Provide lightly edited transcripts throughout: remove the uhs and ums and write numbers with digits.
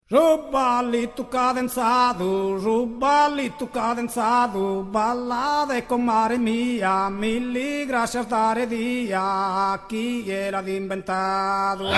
Su ballitu cadenzadu, su ballitu cadenzadu, ballade comare mia, milli grascias dare dia, chie l'at imbentadu.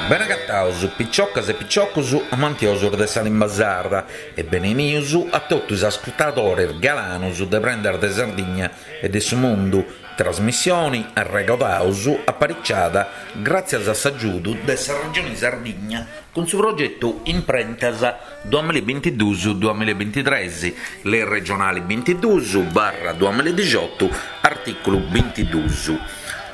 Bene agataus piciocas e piciocus amantiosus de sa limba sarda e benenius a totu is ascurtadores galanus de Prendas de Sardigna e de su Mundu, Trasmissioni, arregodaus, apariciada gràtzias a s'agiudu de sa Regioni Sardigna cun su progetu Imprentas duamillabintiduus duamillabintitres, Lei regionali bintiduus barra duamilladixotu, artìculu bintiduus.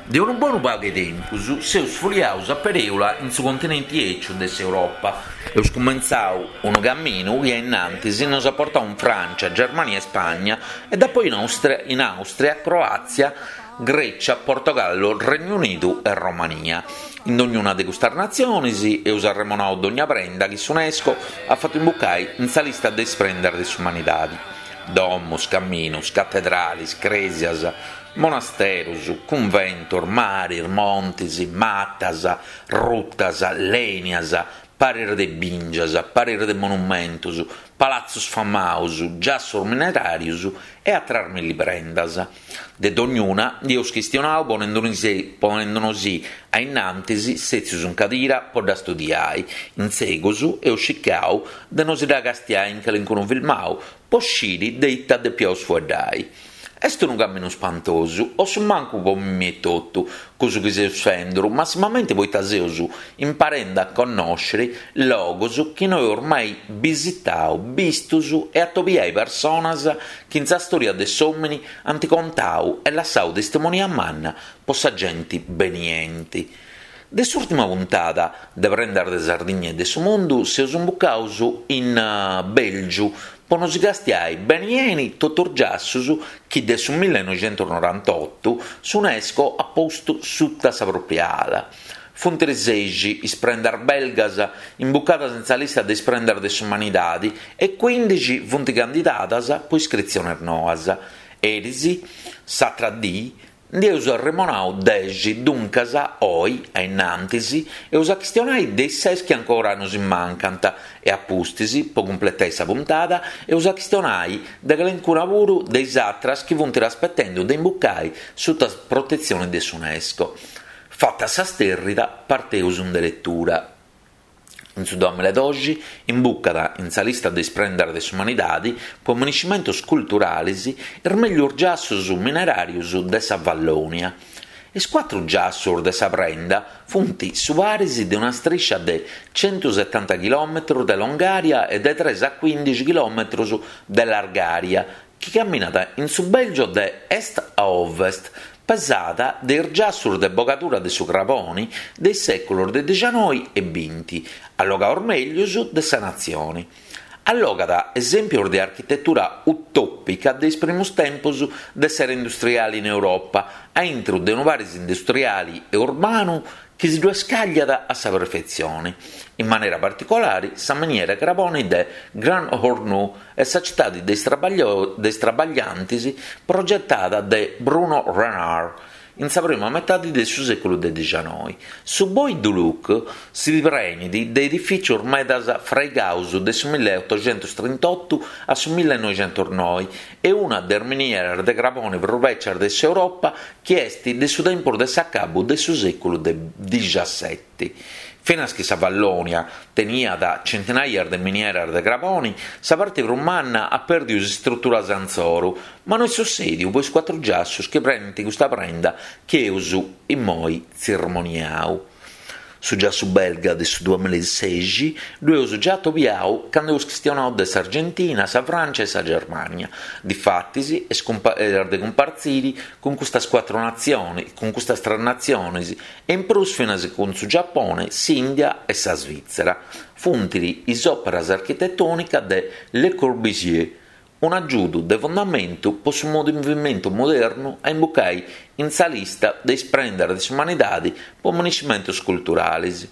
De unu bonu pagu 'e tempus seus fuliaus a perèula in su continenti 'eciu de s'Europa. Eus cumentzau unu caminu chi a innantis nos at portau in Frància, Germania e Spagna e dapoi in Àustria, Croàtzia, Grècia, Portogallo, Regnu Unidu e Romania. In dognuna de custas natzionis eus arremonau dogna prenda chi s'Unesco at fatu imbucai in sa lista de is prendas de s'umanidadi, domus, caminus, catedralis, crèsias, monasterus, cunventus, maris, montis, matas, rutas, lenias, paris de bìngias, paris de monumentus, palatzus famaus, giassus mineràrius e atras milli prendas. De dognuna ndi eus chistionau ponendunosì a innantis sètzius in cadira po dda studiai, in segus eus circau de nosi dda castiai in calincunu filmau po sciri de ita depiaus fueddai. Est unu caminu spantosu, o su mancu po mimi etotu, cussu chi seus fenduru, massimamenti poita seus imparendi a connòsciri logus chi no eus mai bisitau, bistus e atobiai personas chi in sa stòria de s'òmini ant contau e lassau testimonia manna po sa genti benienti. De s'ùrtima puntada de Prendas de Sardigna e de su Mundu seus imbucaus in Bèlgiu po nosi castiai beni 'eni totu is giassus chi de su millenoixentusnorantotu s'Unesco at postu suta sa pròpria ala. Funt sexi is prendas belgas imbucadas in sa lista de is prendas de s'umanidadi e cuindixi funt candidadas po iscritziones noas. Eris, s'atra dì, Ndi eus arremonau dexi, duncas, oi, a innantis, eus a chistionai de is ses chi ancora nosi mancant e a pustis, po cumpletai sa puntada, eus a chistionai de calencuna puru de is atras chi funt aspetendu de imbucai suta protetzioni de s'Unesco. Fata sa sterrida, parteus in deretura. In su duamilladoxi imbucat in sa lista de is prendas de s'umanidadi po miniscimentus culturalis is meglius giassus mineràrius de sa Vallònia. Is cuatru giassus de sa prenda funt su paris de una striscia de centusetanta chilòmetrus de longària e de tres a cuindixi chilòmetrus de largària chi caminat in su Bèlgio de est a ovest, pesada de is giassus de bogadura de su craboni de is sèculos de dixanoi e binti, allogaus mèglius de sa natzioni. Allogat esèmpios de architetura utòpica de is primus tempos de s'era industriali in Europa, a intru de unu paris industriali e urbanu chi si ddu scagliat a sa perfetzioni, in manera particolari sa miniera 'e craboni de Grand Hornu e sa citadi de is trabagliantis progetada de Bruno Renard in sa prima metadi de su sèculu de dixanoi. Su Bois du Luc si prenit de edifìcius medas fraigaus de su milleotoxentustrintottu a su millenoixentusnoi e una de is minieras de craboni prus bècias de s'Europa chi est de su tempus de s'acabu de su sèculu de dixaseti. Finas chi sa Vallònia teniat centinaias de minieras de craboni, sa parti prus manna at pèrdiu is istruturas insoru, ma no est sussèdiu po is cuatru giassus chi prenint custa prenda chi eus immoi tzirmoniau. Su giassu belga de su duamilasexi ddu eus già atobiau candu eus chistionau de s'Argentina, sa Francia e sa Germania. Difatis est de cumpartziri cun custas cuatru natzionis, cun custas tres natzionis e in prus finas cun su Giapone, s'India e sa Svitzera. Funt is òperas architetònicas de Le Corbusier, un'agiudu de fundamentu po su movimentu modernu a imbucai in sa lista de is prendas de s'umanidadi po miniscimentus culturalis.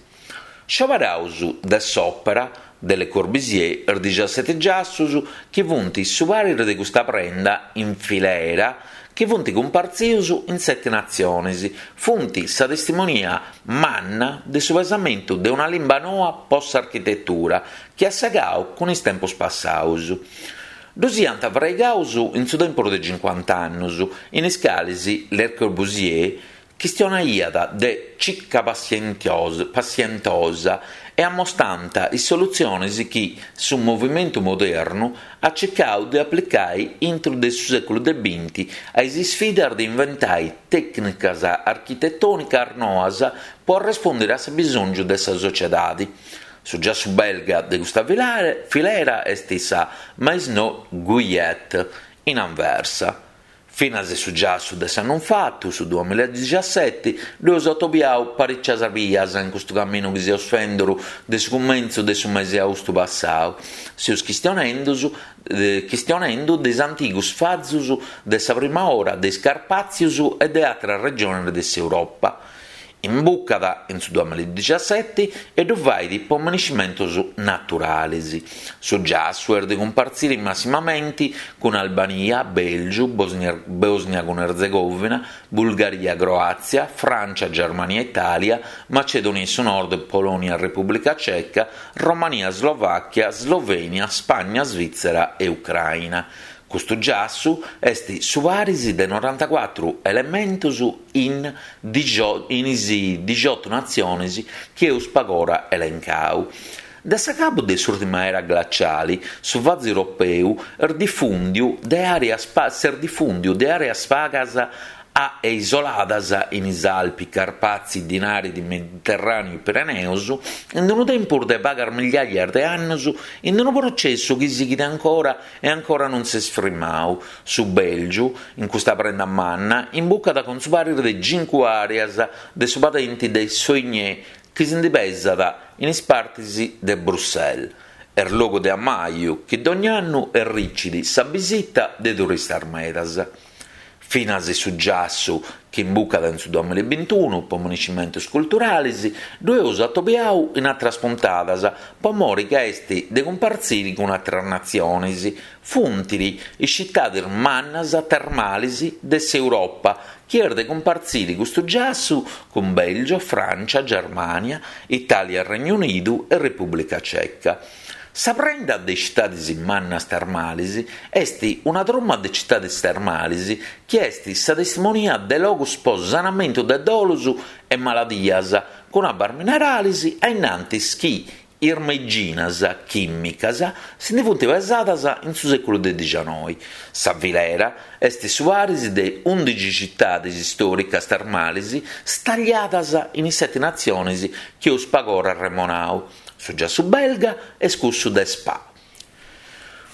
Scioberaus de s'òpera de Le Corbusier is dixaseti giassus chi funt su paris de custa prenda in filera. chi funt cumpartzius in seti natzionis, funt sa testimonia manna de su pesamentu de una limba noa po s'architetura chi at segau cun is tempus passaus. Ddus iant fraigaus in su tempus de cincuant'annus, in is calis Le Corbusier Chistionaiat de cica passientosa e ammostant is solutziones chi su movimentu modernu at circau de aplicai intru de su sèculu de binti a is isfidas de inventai tècnicas architetònicas noas po arrespòndiri a s'abisòngiu de sa sociedadi. Su giassu belga de custa filera est sa Maison Guyet in Anversa. Finas su giassu de s'annu infatu, su duamilladixiaseti, ddu eus atobiau paricias bias in custu caminu chi seus fenduru de su cumentzu de su mesi austu passau. Seus chistionendu de is antigus fazus de sa prima ora de is Carpàtzius e de àteras regionis de s'Europa. Imbucat in su duamilladixiaseti e ddu fait po miniscimentus naturalis. Su giassu est de cumpartziri massimamenti cun Albania, Bèlgiu, Bòsnia cun Erzegovina, Bulgaria, Croàtzia, Frància, Germania, Itàlia, Macedònia 'e su Nord, Polònia, Repùblica Ceca, Romania, Slovàchia, Slovènia, Spagna, Svìtzera e Ucraina. Custu giassu est su paris de norantacuatru elementus in in is dixiotu natzionis chi eus pagora elencau. De s'acabu de s'ùrtima era glaciali, su vazu europeu est difùndiu de àreas s'est difùndiu de àreas pagas a e isoladas in is Alpi, Carpazi, Dinaridi, Mediterràneu e Pireneus, in unu tempus de pagas migliàias de annus, in unu processu chi sighit ancora e ancora non s'est frimau. Su Bèlgiu, in custa prenda manna, imbucat cun su paris de cincu àreas de su padenti de Soignes chi si ndi pesat in is partis de Bruxelles. Est logu de ammaju chi dogna annu erricit sa bisita de turistas medas. Finas su giassu chi imbucat in su duamillabintunu po miniscimentus culturalis ddu eus atobiau in atras puntadas po mori ca est de cumpartziri cun atras natzionis, funt is citadis mannas termalis de s'Europa chi est de cumpartziri custu giassu cun Belgio, Francia, Germania, Italia Regnu Unidu e Repubblica Ceca. Sa prenda de is citadis mannas termalis est una truma de citadis termalis chi est sa testimonia de logus po sanamentu de dolus e maladias cun abbas mineralis a innantis chi is meiginas chìmicas si ndi funt pesadas in su sèculu de dixianoi. Sa filera est su paris de undixi citadis istòricas termalis stagliadas in is seti natzionis chi eus pagora arremonau. Su giassu belga est cussu de Spa.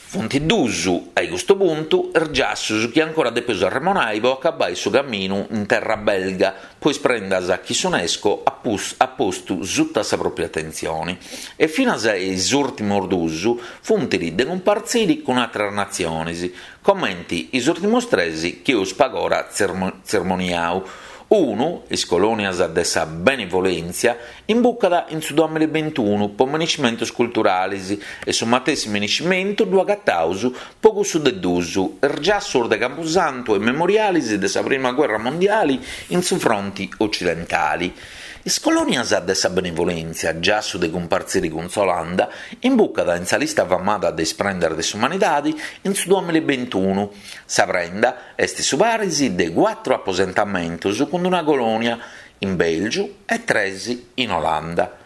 Funt dus, a custu puntu, is giassus chi ancora depeus arremonai po acabai su caminu in terra belga po is prendas chi s'Unesco at postu suta sa pròpria atentzioni. E finas is ùrtimus dus funt de cumpartziri cun àteras natzionis, comenti is ùrtimus tres chi eus pagora tzermoniau. Unu, is colònias de sa benevolèntzia, imbucat in su duamillabintunu po miniscimentus culturalis e su matessi miniscimentu ddu agataus po cussu de dus, is giassus de Campusantu e memorialis de sa prima guerra mondiali in su fronti ocidentali. Is colònias de sa benevolèntzia, giassu de cumpartziri cun s'Olanda, imbucat in sa lista famada de is prendas de s'umanidadi in su duamillabintunu. Sa prenda est su paris de cuatru aposentamentus cun una colònia in Bèlgiu e tres in Olanda.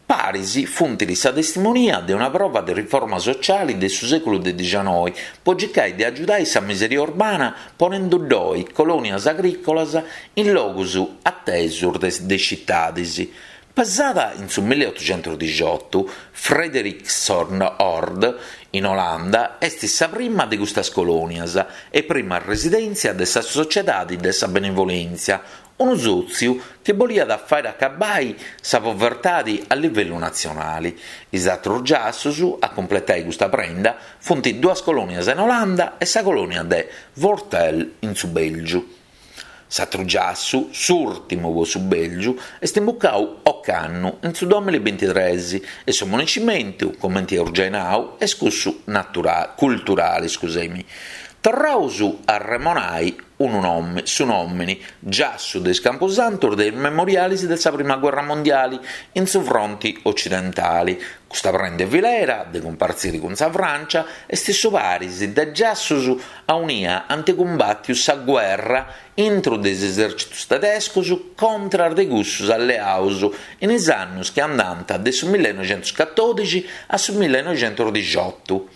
Paris funt sa testimonia de una prova de riforma sociali de su sèculu de dixianoi po circai de agiudai sa miseria urbana ponendu ddoi colònias agrìcolas in logus atesu de citadis. Pesada in su milliotuxentusdixiotu, Frederiksoord in Olanda est sa prima de custas colònias e prima residèntzia de sa Sociedadi de sa Benevolèntzia, unu sòtziu chi boliat fàere acabai sa povertadi a livellu natzionali. Is atrus giassus a cumpletai custa prenda funt duas colònias in Olanda e sa colònia de Wortel in su Bèlgiu. S'atru giassu, s'ùrtimu po su Bèlgiu, est imbucau ocannu, in su duamillabintitres, e su miniscimentu, comenti eus giai nau, est cussu naturali, culturali, scuseimi. Torraus a arremonai. unu nòmini, su nòmini, giassu de is campusantus de is memorialis de sa prima guerra mondiali in su fronti ocidentali. Custa prenda 'e filera, de cumpartziri cun sa Frància, est su paris de giassus aunia ant cumbàtiu sa guerra intru de is esèrcitus tedescus contras de cussus alleaus in is annus chi andant de su millenoixentuscatòdixi a su millenoixentusdixotu.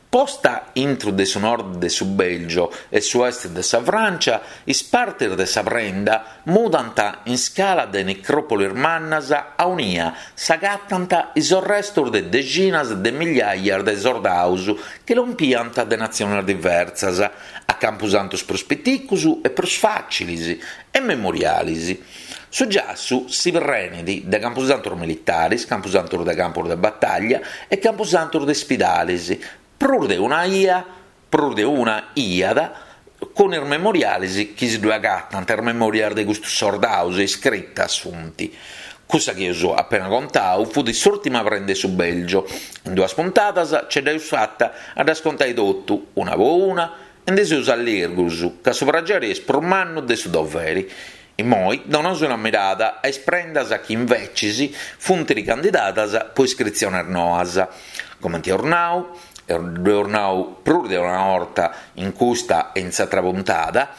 Posta intru de su nord de su Bèlgio e su est de sa Frància, is partis de sa prenda mudant in scala de necròpolis mannas aunia s'agatant is orrestus de dexinas de migliaias de sordaus chi lompiant de natziones diversas, a campusantus prus piticus e prus fàcilis e memorialis. Su giassu si prenit de campusantus militaris, campusantus de campus de batàllia e campusantus de ispidalis, prus de una ia, prus de una iat, cun is memorialis chi si ddue agatant, is memorias de custus sordaus iscritas funt. Cussa chi eus apena contau fut s'ùrtima prenda 'e su Bèlgio. In duas puntadas ce dd'eus fata a ddas contai totu, una po una, E ndi seus allirgus, ca su prageri est prus mannu de su doveri. Immoi donaus una mirada a is prendas chi invecis funt ricandidadas po iscritziones noas. Comenti eus nau, e ddu eus nau prus de una 'orta in custa e in s'atra puntada,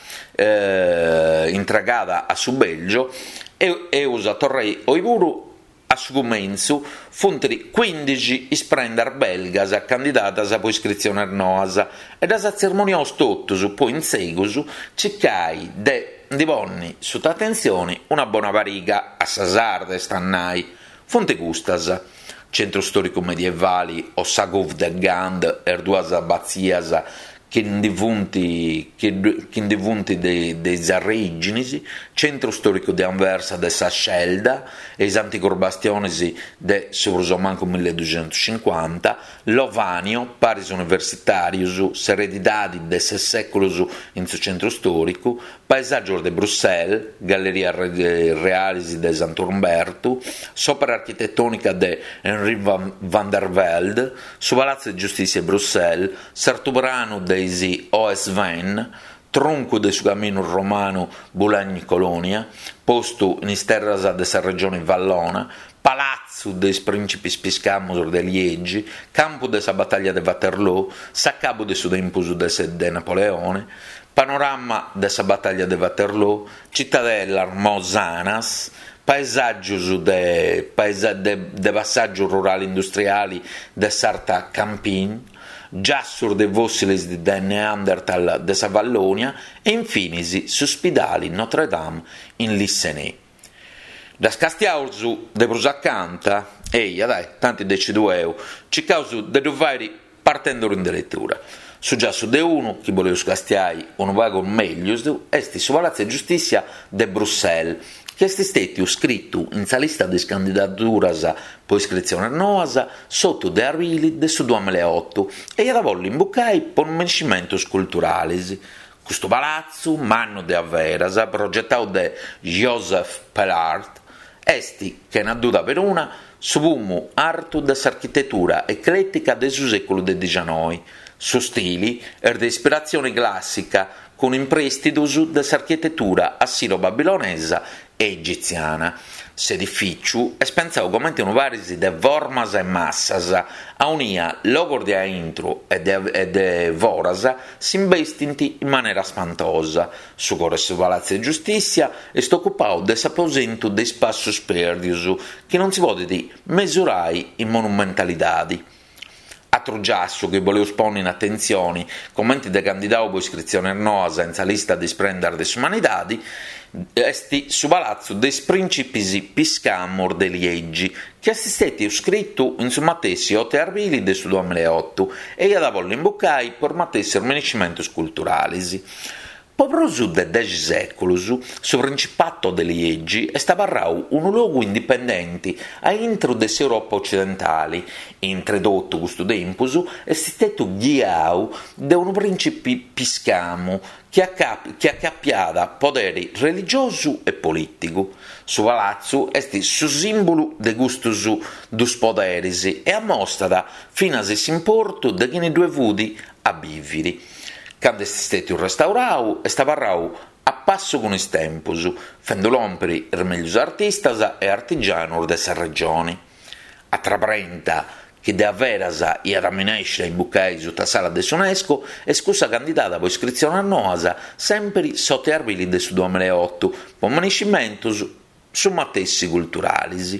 intregada a su Belgio, eus a torrai oi puru A su cumentzu funt cuindixi is prendas belgas candidadas po iscritziones noas e ddas atzermoniaus totus po in segus circai de ndi ponni suta atentzioni una bona pariga, a sa sarda est a nai. Funt custas, Centru stòricu medievali o sa Couve de Gand e is duas abatzias chi ndi funt chi ndi funt de is arrèiginis, centru stòricu de Anversa de sa Schelda e is antigus bastionis de su prus o mancu milleduxentuscincuanta, Lovanio, paris universitàrius, s'eredidadi de ses sèculus in su centru stòricu, Paesàgios de Bruxelles, Gallerias Realis de Santu Umbertu, s'òpera architetònica de Henri van der Velde, su Palatzu de Giustìssia 'e Bruxelles, s'artupranu de is Hauts Vennes, truncu de su caminu romanu Boulogne-Colonia, postu in is terras de sa regione Vallona, Palatzu de is prìncipis piscamos de Liegi, campu de sa batalla de Waterloo, s'acabu de su tempus de Napoleone, Panorama de sa batalla de Waterloo, citadellas mosanas, paesàgios de de passàgiu rurale industriale de s'Arta Campine, giassos de fòssiles de Neanderthal de sa Vallònia e in finis s'uspidale Notre Dame in Lissenè. Ddas castiaus de prus acanta? Eia, dai, tanti decidu eu, circaus de ddu fàiri Partendu in deretura. Su giassu de unu, chi boleus castiai unu pagu meglius, est su Palatzu 'e Giustìssia de Bruxelles, chi est stètiu scritu in sa lista de is candidaduras po iscritziones noas s'otu de abrili de su duamillaeotu e iat a bolli imbucai po minescimentus culturalis. Custu palatzu, mannu de averas, progetau de Joseph Pellaert, est, chena duda peruna, su pumu artu de s'architetura eclètica de su sèculu de dixanoi. Su stili est de ispiratzione clàssica, cun imprèstidus de s'architetura assiro-babilonesa e egitziana. S'edifìciu est pentzadu comente unu paris de formas e massas, aunia logos de aintru e de foras s'imbestint in manera spantosa. Su coro 'e su Palatzu 'e Giustìssia est ocupadu de s'aposentu de is passus pèrdius, chi non si podit mesurai in monumentalidadi. Atru giassu chi boleus ponni in atentzioni, comenti de candidau po iscritziones noas in sa lista de is prendas de s'umanidadi, est su Palatzu de is Prìncipis Piscamos de Liegi, chi est stètiu scritu in su matessi otu 'e arbili de su duamillaeotu e iat a bolli imbucai po is matessis minescimentus culturalis. Po prus de dexi sèculus, su Principato de Liegi est abarrau unu logu indipendenti a intru de s'Europa ocidentali. Intre totu custu tempus est stètiu ghiau de unu prìncipi piscamu chi acapiàt poderi religiosu e polìtigu. Su palatzu est su sìmbulu de custus dus poderis e amostat finas s'importu de chini ddue fut a bìviri. Candu est stètiu restaurau est abarrau a passu cun is tempus, fendu lòmpiri is meglius artistas e artigianus de sa regioni. Atra prenda chi de averas iat a minesci a imbucai suta s'ala de s'Unesco est cussa candidada po iscritziones noas sèmpiri s'otu 'e arbili de su duamilla e otu po minescimentus su matessi culturalis.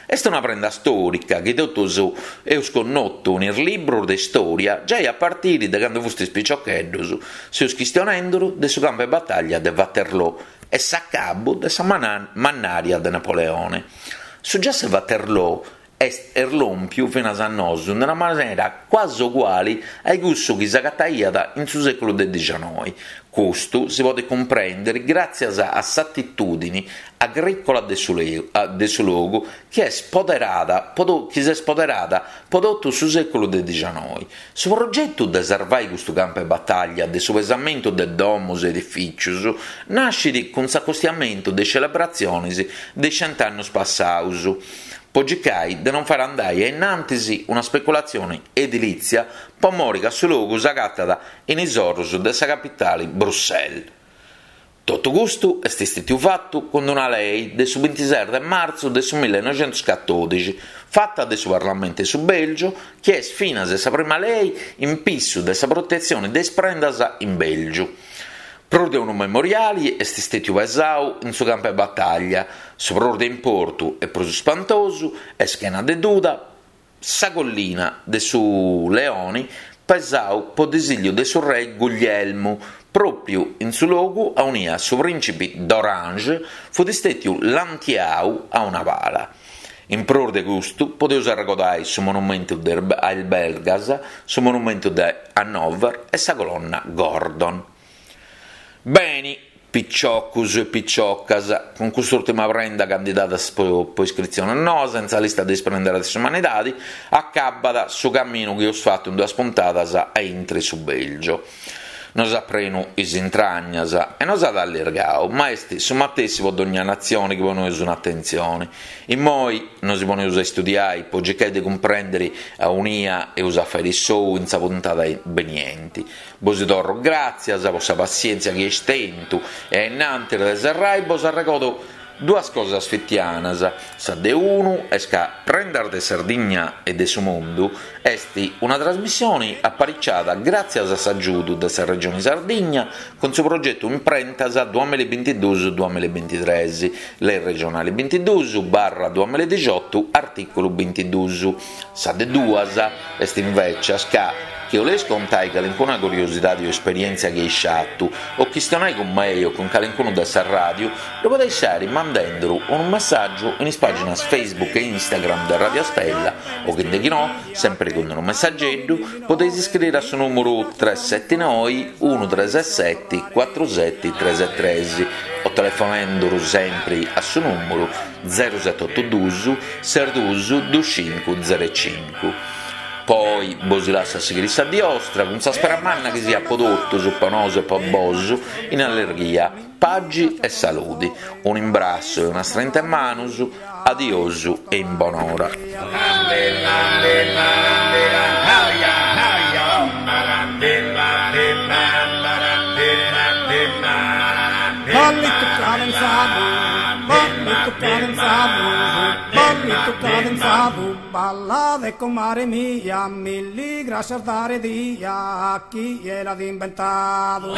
Est una prenda stòrica chi totus eus connotu in is librus de stòria giai a partiri de candu fustis piciocheddus, seus chistionenduru de su campu 'e bataglia de Waterloo e s'acabu de sa mannària de Napoleone. Su giassu 'e Waterloo est lòmpiu finas a nosu in una manera quasi uguali a cussu chi s'agataiat in su sèculu de dixanoi. Custu si podet cumprèndere gràtzias a s'atitùdini agrìcola de su de su logu chi est poderada chi s'est poderada po totu su sèculu de dixanoi. Su progetu de sarvai custu campu 'e batàllia de su pesamentu de domos e edifìcius nascit cun s'acostiamentu de is celebratzionis de is cent'annus passaus, po circai de non fai andai a innantis una speculatzioni edilìtzia po mori ca su logu s'agatat in is orus de sa capitali Bruxelles. Totu custu est istètiu fatu cun una lei de su bintises de martzu de su millenoixentuscatòdixi, fata de su Parlamentu 'e su Bèlgiu, chi est finas sa prima lei in pissu de sa protetzioni de is prendas in Bèlgiu. Prus de unu memoriali est istètiu pesau in su campu 'e batàllia, su prus de importu e prus spantosu est chena de duda sa collina de su Leoni pesau po disìlliu de su rei Guglielmu, pròpiu in su logu aunia su prìncipi d'Orange fut istètiu lantiau a una pala. In prus de custu podeus arregodai su monumentu de a is Belgas, su monumentu de Hannover e sa colonna Gordon. Beni, piciocus e piciocas, cun cust'ùrtima prenda candidadas po iscritziones noas in sa lista de is prendas de s'umanidadi, acabat su caminu chi eus fatu in duas puntadas a intri su Belgio. Nos at prenu is intragnas e nos at allirgau, ma est su matessi po dogna natzioni chi poneus un'atentzioni. Immoi nosi poneus a istudiai po circai de cumprendiri aunia eus a fairi s'ou in sa puntada benienti. Bosi torro gràtzias po sa passièntzia chi eis tentu e a innantis de serrai bos arregodo duas cosas fitianas, sa de unu est ca Prendas de Sardigna e de su Mundu est una trasmissioni apariciada gràtzias a s'agiudu de sa Regioni Sardigna cun su progetu Imprentas duamillabintiduus duamillabintitres, Lei regionali bintiduus barra duamilladixotu artìculu bintiduus. Sa de duas est invècias ca Chi 'oleis contai calincuna curiosidadi o esperièntzia chi eis fatu, o chistionai cun mei o cun calincunu de sa ràdiu, ddu podeis fàiri mandenduru unu messàgiu in is pàginas Facebook e Instagram de Radio Stella o chi de no, sèmpiri cun unu messageddu, podeis iscriri a su nùmuru tres seti noi unu tres seti cuatru seti tres tres o telefonenduru sèmpiri a su nùmuru zeru seti otu dus ses dus dus cincu zeru cincu. Po oi bosi lassu a sighiri sa dì 'ostra cun sa spera manna chi siat po totus, po nosu e po bosu, in allerghia, pagi e saludi. Unu imbrassu e una strenta 'e manus, adiosu e in bonora. Ballade comare mia, milli grascias dare dia a chie l'at inventadu.